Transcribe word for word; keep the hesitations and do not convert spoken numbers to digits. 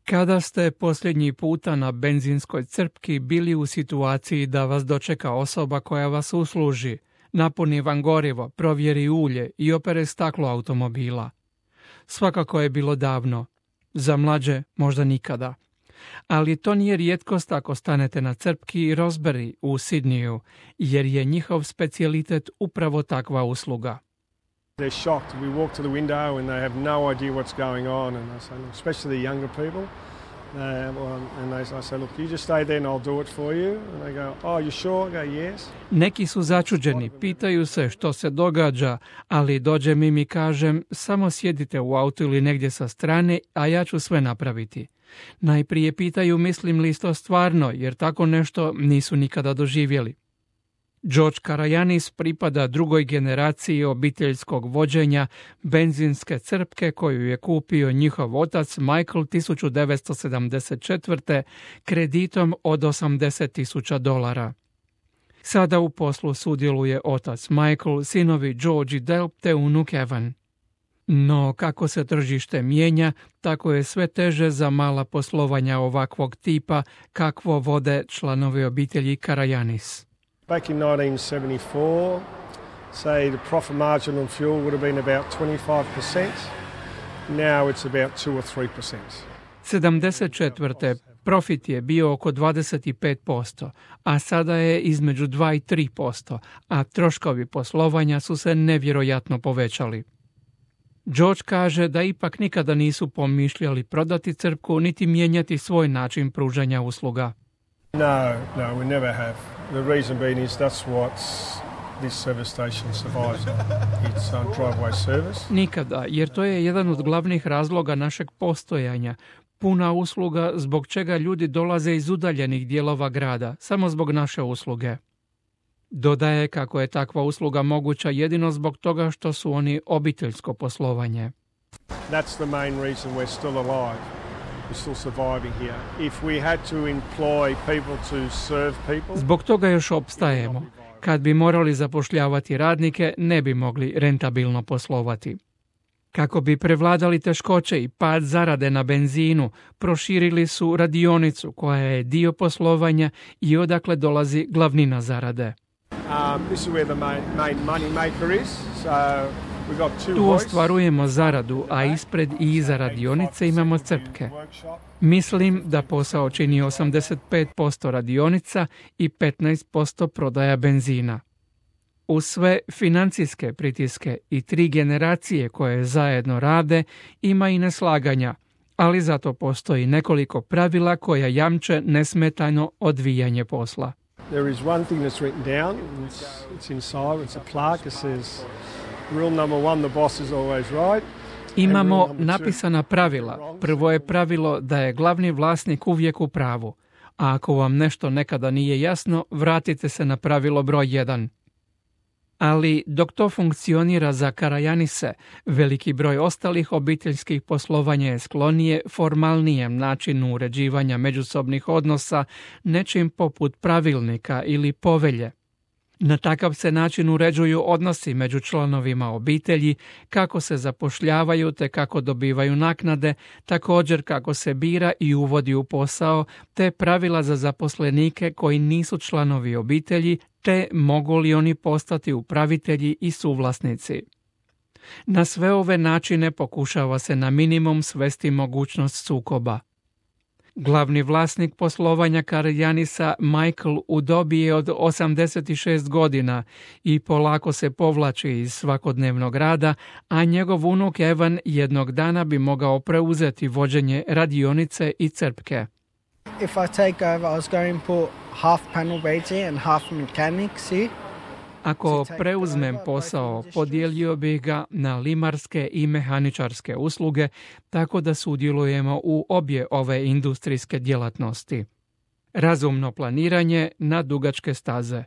Kada ste posljednji puta na benzinskoj crpki bili u situaciji da vas dočeka osoba koja vas usluži, napuni vam gorivo, provjeri ulje i opere staklo automobila? Svakako je bilo davno, za mlađe možda nikada. Ali to nije rijetkost ako stanete na crpki Rosebery u Sidneyu, jer je njihov specijalitet upravo takva usluga. They're shocked. We walk to the window and they have no idea what's going on, and I say, especially the younger people. Uh, well, and they, I say, look, you just stay there and I'll do it for you. And they go, oh, you sure? I go, yes. Neki su začuđeni, pitaju se što se događa, ali dođem im i kažem, samo sjedite u autu ili negdje sa strane, a ja ću sve napraviti. Najprije pitaju mislim li to stvarno, jer tako nešto nisu nikada doživjeli. George Karajanis pripada drugoj generaciji obiteljskog vođenja benzinske crpke koju je kupio njihov otac Michael tisuću devetsto sedamdeset četvrte kreditom od osamdeset tisuća dolara. Sada u poslu sudjeluje otac Michael, sinovi George i Del te unuk Evan. No kako se tržište mijenja, tako je sve teže za mala poslovanja ovakvog tipa kakvo vode članovi obitelji Karajanis. Back in nineteen seventy-four, say the profit margin on fuel would have been about twenty-five percent. Now it's about two or three percent. sedamdeset četvrte profit je bio oko dvadeset pet posto, a sada je između dva i tri posto, a troškovi poslovanja su se nevjerojatno povećali. George kaže da ipak nikada nisu pomišljali prodati crpku niti mijenjati svoj način pružanja usluga. No, no, we never have. The reason being is that's what this service station survives on. It's um, driveway service. Nikada, jer to je jedan od glavnih razloga našeg postojanja. Puna usluga zbog čega ljudi dolaze iz udaljenih dijelova grada, samo zbog naše usluge. Dodaje kako je takva usluga moguća jedino zbog toga što su oni obiteljsko poslovanje. That's the main reason we're still alive. We're still surviving here. If we had to employ people to serve people, zbog toga još opstajemo. Kad bi morali zapošljavati radnike, ne bi mogli rentabilno poslovati. Kako bi prevladali teškoće i pad zarade na benzinu, proširili su radionicu koja je dio poslovanja i odakle dolazi glavnina zarade. Um, this is where the main, main money maker is. So we got two tu ostvarujemo zaradu, a ispred i iza radionice imamo crpke. Mislim da posao čini osamdeset pet posto radionica i petnaest posto prodaja benzina. Uz sve financijske pritiske i tri generacije koje zajedno rade, ima i neslaganja, ali zato postoji nekoliko pravila koja jamče nesmetano odvijanje posla. There is one thing that's written down, it's, it's inside, it's a plaque that says, rule number one, the boss is always right. Imamo napisana pravila. Prvo je pravilo da je glavni vlasnik uvijek u pravu, a ako vam nešto nekada nije jasno, vratite se na pravilo broj jedan. Ali dok to funkcionira za Karajanise, veliki broj ostalih obiteljskih poslovanja je sklonije formalnijem načinu uređivanja međusobnih odnosa, nečim poput pravilnika ili povelje. Na takav se način uređuju odnosi među članovima obitelji, kako se zapošljavaju te kako dobivaju naknade, također kako se bira i uvodi u posao, te pravila za zaposlenike koji nisu članovi obitelji, te mogu li oni postati upravitelji i suvlasnici. Na sve ove načine pokušava se na minimum svesti mogućnost sukoba. Glavni vlasnik poslovanja Karajanisa, Michael, u dobi je od osamdeset šest godina i polako se povlači iz svakodnevnog rada, a njegov unuk Evan jednog dana bi mogao preuzeti vođenje radionice i crpke. If I take over, I was going to put half panel beating and half mechanics here. Ako preuzmem posao, podijelio bih ga na limarske i mehaničarske usluge, tako da sudjelujemo u obje ove industrijske djelatnosti. Razumno planiranje na dugačke staze.